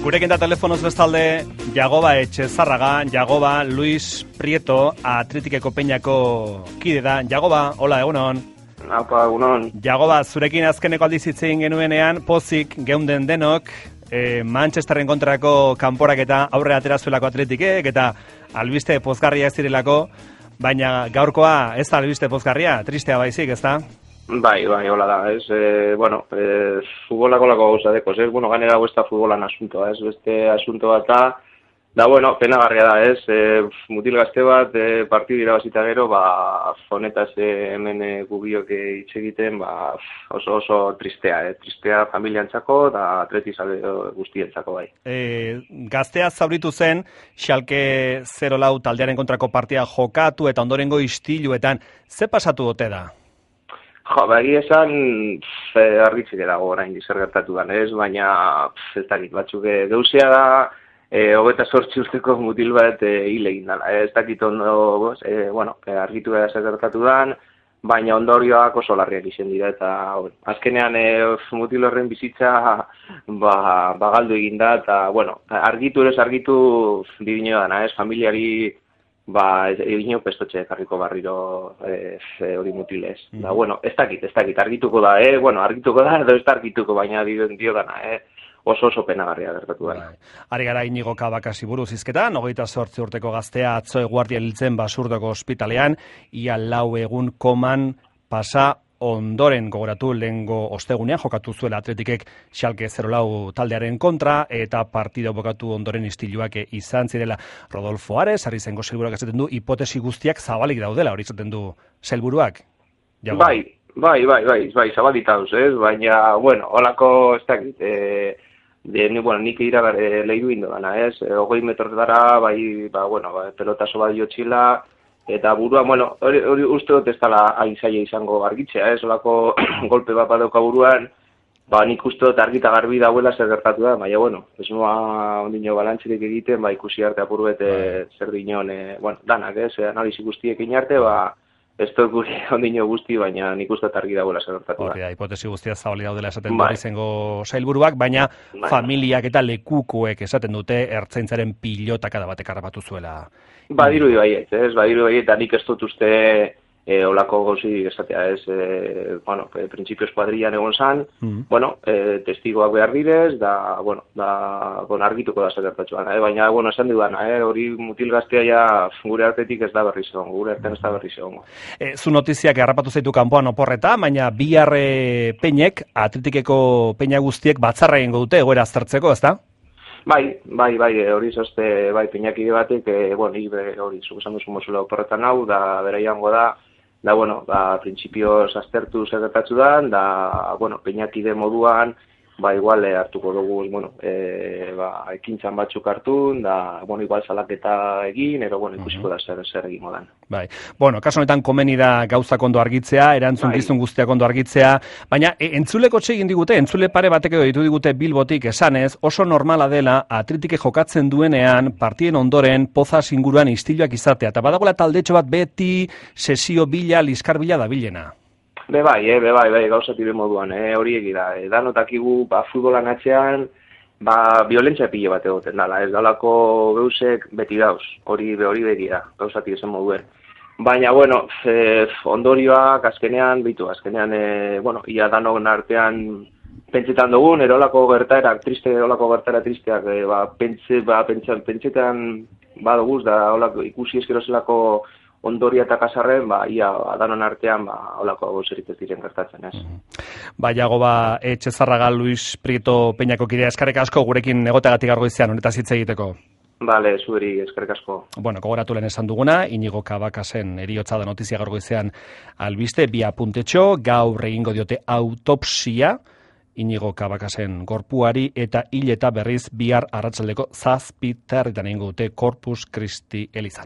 Gurekin da telefonoz bestalde, Jagoba Etxezarraga, Jagoba Luis Prieto, Athleticeko Peñako kide da. Jagoba, hola, egunon. Apa, egunon. Jagoba, zurekin azkeneko aldiz hitz egin genuenean, pozik geunden denok, Manchesterren kontrako kanporaketa aurre atera zuelako Athleticek, eta albiste pozgarria ez direlako, baina gaurkoa ez da albiste pozgarria, tristea baizik, ez da? Bai, hola da, ez, futbolako lako gauza dekoz, ez, bueno, ganera ez da futbolan asuntoa, ez, beste asunto bat da, bueno, penagarria da, ez, mutil gazte bat, partidu irabazita gero, honetaz hemen gubiok hitz egiten, oso tristea, tristea familiantzako, da atletizale guztientzako bai. Gaztea zauritu zen, Schalke 04 taldearen kontrako partia jokatu eta ondorengo istiluetan, ze pasatu ote da? Egia esan, argitzik dago orain zer gertatu den, ez? Baina, ez dakit, batzuk geuzea da, 28 urteko mutil bat hil egin dela. Ez dakit ondo, argitu da zer gertatu den, baina ondorioak oso larriak izen dira, eta azkenean mutil horren bizitza galdu egin da, eta, argitu dibino dana, ez? Familiari egin pestotxe karriko barriro hori mutilez. Da, ez dakit, argituko da, argituko da, edo ez da argituko, baina dio dana, oso penagarria gertatu dana. Ari gara Inigo Kabakasi buruz hizketan, 28 urteko gaztea atzo eguardia hiltzen Basurdoko ospitalean, ia 4 egun koman pasa ondoren gogoratu lehengo ostegunean jokatu zuela Athleticek Schalke 04 taldearen kontra eta partida bukatu ondoren istiluak izan zirela. Rodolfo Ares, Arrizengo sailburuak esaten du hipotesi guztiak zabalik daudela, hori esaten du sailburuak. Bai, zabalik dauz, ez? Baina, holako ez dakit, nik ira lehidu indo dana, ez? 20 metrotara, pelotaso bat jotxila, eta burua, hori uste dut ez dela aizaia izango argitzea, olako golpe bat badauka buruan, nik uste dut argita garbi dauela zer gertatu da, baina, ez noa ondino balantzirik egiten, ikusi arte apuruet zer dinon, danak, analizi guztiek inarte, ez dut guri ondino guzti, baina nik uste dut argi dauela zer gertatu da. Hori da, hipotesi guztia zabali daudela esaten du Arrizengo sailburuak, baina familiak eta lekukoek esaten dute ertzaintzaren pilotakada batek harrapatu zuela. Badiru baiet, eta nik ez dut uste olako gauzi esatea, printzipioz kuadrilan egon zan, testigoak behar direz, da argituko da zer baina, esan dudan, hori mutil gaztea gure artetik ez da berriz egon, gure artean ez da berriz egon. Zu notiziak harrapatu zaitu kanpoan oporreta, baina bihar Peñek, Athleticeko Peña guztiek batzarra egingo dute egoera aztertzeko, ez da? Bai, hori zozte, Peñakide batek, hori, zugesan duzu mozula oporretan hau, da bera jango da, printzipioz aztertu zer gertatu da, Peñakide moduan, igual hartuko dugu, ekintzan batzuk hartun, igual salaketa egin, ikusiko da zer egin modan. Bai, kaso honetan komeni da gauzak ondo argitzea, erantzukizun guztiak ondo argitzea, baina entzuleko egin digute, entzule pare batek ditu digute Bilbotik esanez, oso normala dela Athleticek jokatzen duenean, partien ondoren, pozaz inguruan istiluak izatea, eta badagoela taldetxo bat beti sesio bila, liskar bila da bilena. Bai, gauzatire moduan, hori egira, danotakigu, futbolan atzean, violentzia pile bat egoten dala, ez dalako geusek beti dauz, hori begira, gauzatire zen moduen. Baina, ondorioak azkenean, ia danok artean pentsetan dugun, erolako gertaerak tristeak, pentsetan badoguz, da ikusi eskero zelako ondoria eta kasarren, ia danon artean, holako gauzerik ez diren gertatzen, ez. Jagoba Etxezarraga Luis Prieto Peñako kidea, eskerrik asko gurekin egoteagatik gaur goizean, honetaz hitz egiteko. Bale, zueri, eskerrik asko. Gogoratu lehen esan duguna, Inigo Kabakasen heriotza da notizia gaur goizean albiste, 2 apuntetxo, gaur egingo diote autopsia, Inigo Kabakasen gorpuari, eta hil eta berriz bihar arratsaldeko 7:00 egingo dute Corpus Christi elizan.